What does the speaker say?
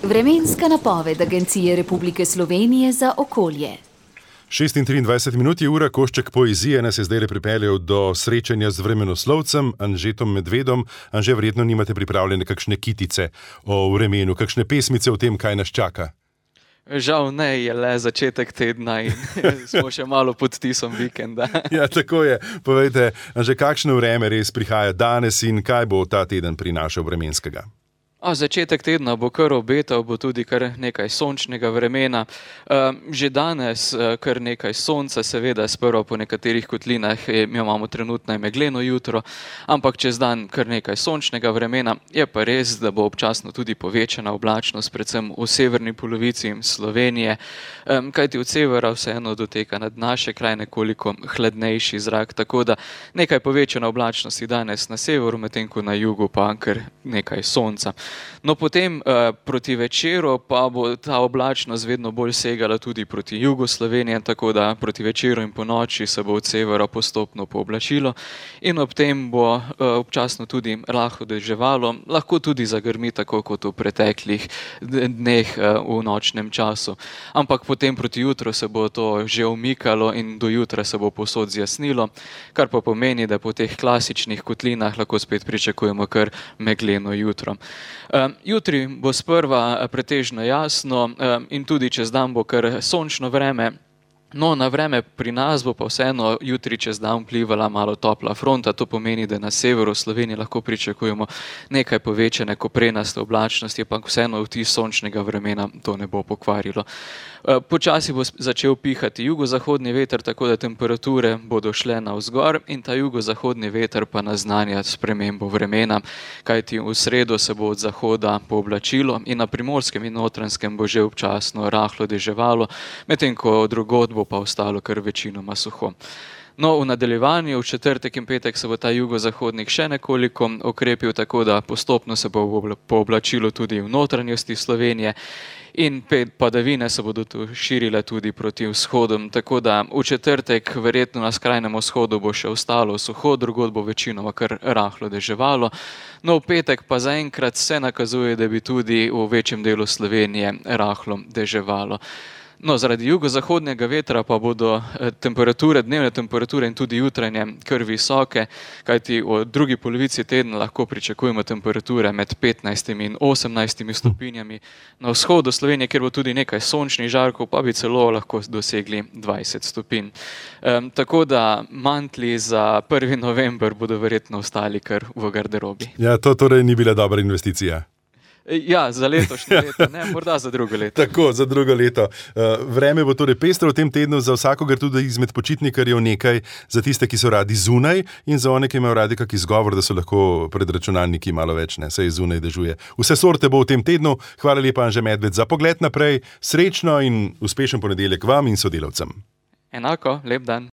Vremenska napoved Agencije Republike Slovenije za okolje. 6:23 je ura, košček poezije nas je zdaj pripeljal do srečanja z vremenoslovcem Anžetom Medvedom. Anže, verjetno nimate pripravljene kakšne kitice o vremenu, kakšne pesmice o tem, kaj nas čaka? Žal ne, je le začetek tedna in smo še malo pod tisom vikenda. Ja, tako je. Povejte, Anže, kakšno vreme res prihaja danes in kaj bo ta teden prinašal vremenskega? Začetek tedna bo kar obetal, bo tudi kar nekaj sončnega vremena. Že danes kar nekaj sonca, seveda sprva po nekaterih kotlinah imamo trenutno megleno jutro, ampak čez dan kar nekaj sončnega vremena. Je pa res, da bo občasno tudi povečana oblačnost, predvsem v severni polovici Slovenije, kajti od severa vseeno doteka nad naše kraje nekoliko hladnejši zrak, tako da nekaj povečana oblačnosti danes na severu, medtem ko na jugu pa kar nekaj sonca. No, potem proti večeru pa bo ta oblačnost vedno bolj segala tudi proti jugu Slovenije, tako da proti večeru in po noči se bo od severa postopno pooblačilo in ob tem bo občasno tudi rahlo deževalo, lahko tudi zagrmi, tako kot v preteklih dneh v nočnem času. Ampak potem proti jutru se bo to že umikalo in do jutra se bo povsod zjasnilo, kar pa pomeni, da po teh klasičnih kotlinah lahko spet pričakujemo kar megleno jutro. Jutri bo sprva pretežno jasno in tudi čez dan bo kar sončno vreme. No, na vreme pri nas bo pa vseeno jutri čez dan vplivala malo topla fronta, to pomeni, da na severu Slovenije lahko pričakujemo nekaj povečane koprenaste oblačnosti, pa vseeno vtis sončnega vremena to ne bo pokvarilo. Počasi bo začel pihati jugozahodni veter, tako da temperature bodo šle navzgor in ta jugozahodni veter pa naznanja spremembo vremena, kajti v sredo se bo od zahoda pooblačilo in na Primorskem in Notranjskem bo že občasno rahlo deževalo, medtem ko drugod bo pa ostalo kar večinoma suho. No, v nadaljevanju, v četrtek in petek se bo ta jugozahodnik še nekoliko okrepil, tako da postopno se bo pooblačilo tudi v notranjosti Slovenije in padavine se bodo tu širile tudi proti vzhodom, tako da v četrtek verjetno na skrajnem vzhodu bo še ostalo suho, drugod bo večinoma kar rahlo deževalo. No, v petek pa zaenkrat se nakazuje, da bi tudi v večjem delu Slovenije rahlo deževalo. No, zaradi jugozahodnega vetra pa bodo dnevne temperature in tudi jutranje kar visoke, kajti v drugi polovici tedna lahko pričakujemo temperature med 15 in 18 stopinjami. Na vzhodu Slovenije, kjer bo tudi nekaj sončnih žarkov, pa bi celo lahko dosegli 20 stopinj. Tako da mantli za 1. november bodo verjetno ostali kar v garderobi. Ja, to torej ni bila dobra investicija. Ja, za letošnje leto, ne, morda za drugo leto. Tako, za drugo leto. Vreme bo torej pestro v tem tednu, za vsakogar tudi izmed počitnikarjev nekaj, za tiste, ki so radi zunaj in za one, ki imajo radi kak izgovor, da so lahko pred računalniki malo več, ne, saj zunaj dežuje. Vse sorte bo v tem tednu. Hvala lepa, Anže Medved, za pogled naprej. Srečno in uspešen ponedeljek vam in sodelavcem. Enako, lep dan.